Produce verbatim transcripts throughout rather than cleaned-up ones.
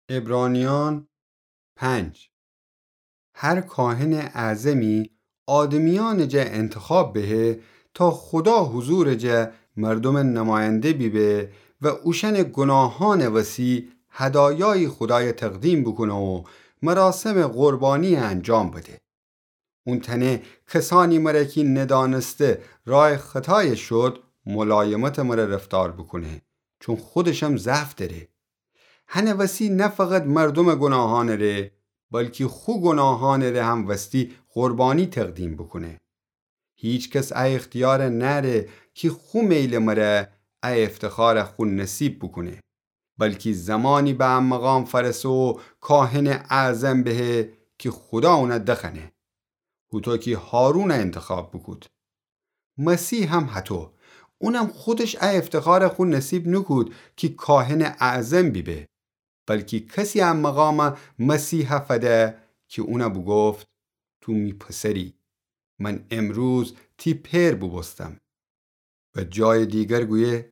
عبرانیان پنج. هر کاهنٚ اعظمی آدمیأنٚ جا انتخاب بهه تا خودا حضورٚ جا مردومٚ نماینده بیبه و اوشأنٚ گناهأنٚ وسی هدایایی خودای تقدیم بوکونه و مراسمٚ قربانی انجام بده. اون تأنه کسأنی مره کی ندأنسته راه خطای شود، ملایمتٚ مره رفتار بوکونه، چون خودشم ضعف دأره. هنٚ وسی نه فقط مردومٚ گناهأنٚ ره، بلکی خو گناهأنٚ ره هم وستی قربانی تقدیم بوکونه. هیکس ا اختیار نأره کی خو میلٚ مره ا افتخار خو نصیب بوکونه، بلکی زمانی به ا مقام فأرسه و کاهنٚ اعظم بهه کی خودا اون دخوأنه، هوطو کی هارون انتخاب بوکود. مسیح هم هطو، اونم خودش ا افتخار خو نصیب نوکود کی کاهنٚ اعظم بیبه، بلکی کسی ا مقام مسیح فده کی اون بوگفت: تو می پسری، من امروز تی پئر بوبوستم. و جای دیگر گویه: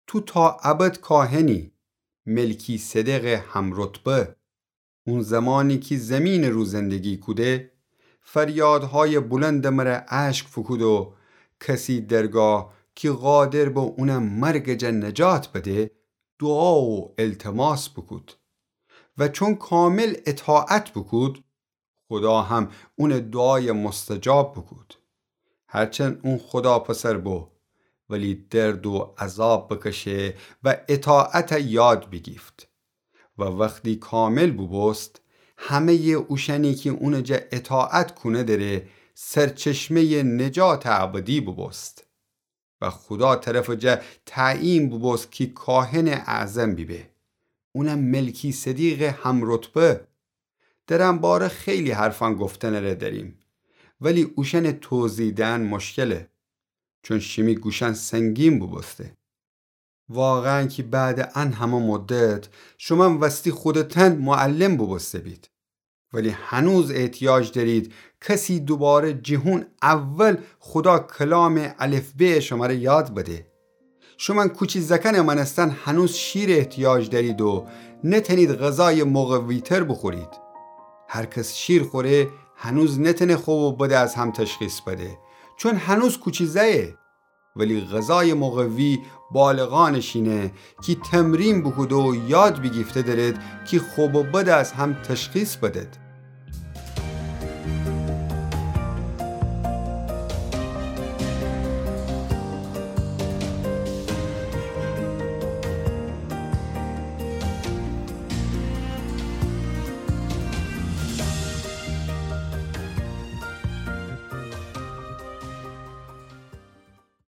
تو تا ابد کاهنی، ملکی‌صدقٚ همرتبه. اون زمانی کی زمینٚ رو زندگی کوده، فریادهای بلندٚ مره اشک فوکود و کسی درگاه کی قادر به اون مرگٚ جا نجات بده، دعا و التماس بوکود. و چون کامل اطاعت بوکود، خودا هم اونٚ دعای مستجاب بوکود. هرچند اون خودا پسر بو، ولی درد و عذاب بکشه و اطاعت یاد بیگیفت. و وختی کامل بوبوست، همه‌یٚ اوشأنی کی اونٚ جا اطاعت کونه دره، سرچشمه‌یٚ نجاتٚ ابدی بوبوست. و خودا طرفٚ جا تعیین بوبوست کی کاهنٚ اعظم بیبه. اونم ملکی‌صدیقٚ همرتبه. در ان باره خیلی حرفأن گفتنٚ ره دأریم، ولی اوشأنٚ توضیح دئن مشکله، چون شیمی گوشأن سنگین بوبوسته. واقعاً کی بعدٚ ان همه مدت شومأن وستی خودتأن معلم بوبوسته بید. ولی هنوز احتیاج دأرید کسی دوباره جٚه هون اول خودا کلامٚ الفبه‌یٚ شمره یاد بده. شومأن کوچی زأکأنٚ مأنستن هنوز شیر احتیاج دأرید و نتأنید غذایٚ مقوی‌تر بوخورید. هر کس شیر خوره، هنوز نتأنه خوب و بد از هم تشخیص بده، چون هنوز کوچی زأیه. ولی غذایٚ مقوی بالغأنٚ شینه کی تمرین بوکوده و یاد بیگیفته درید کی خوب و بد از هم تشخیص بدید.